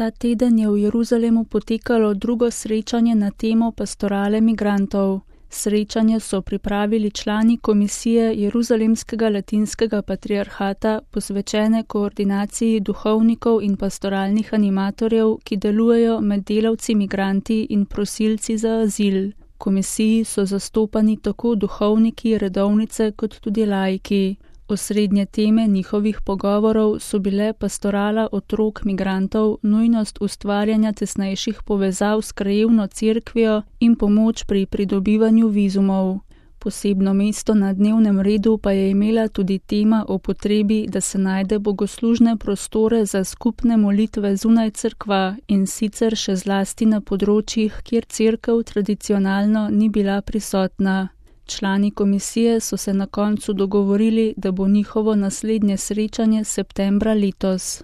Ta teden je v Jeruzalemu potekalo drugo srečanje na temo pastorale migrantov. Srečanje so pripravili člani komisije Jeruzalemskega latinskega patriarhata, posvečene koordinaciji duhovnikov in pastoralnih animatorjev, ki delujejo med delavci migranti in prosilci za azil. V komisiji so zastopani tako duhovniki, redovnice kot tudi laiki. Osrednje teme njihovih pogovorov so bile pastorala otrok migrantov, nujnost ustvarjanja tesnejših povezav s krajevno cerkvijo in pomoč pri pridobivanju vizumov. Posebno mesto na dnevnem redu pa je imela tudi tema o potrebi, da se najde bogoslužne prostore za skupne molitve zunaj cerkva in sicer še zlasti na področjih, kjer cerkev tradicionalno ni bila prisotna. Člani komisije so se na koncu dogovorili, da bo njihovo naslednje srečanje septembra letos.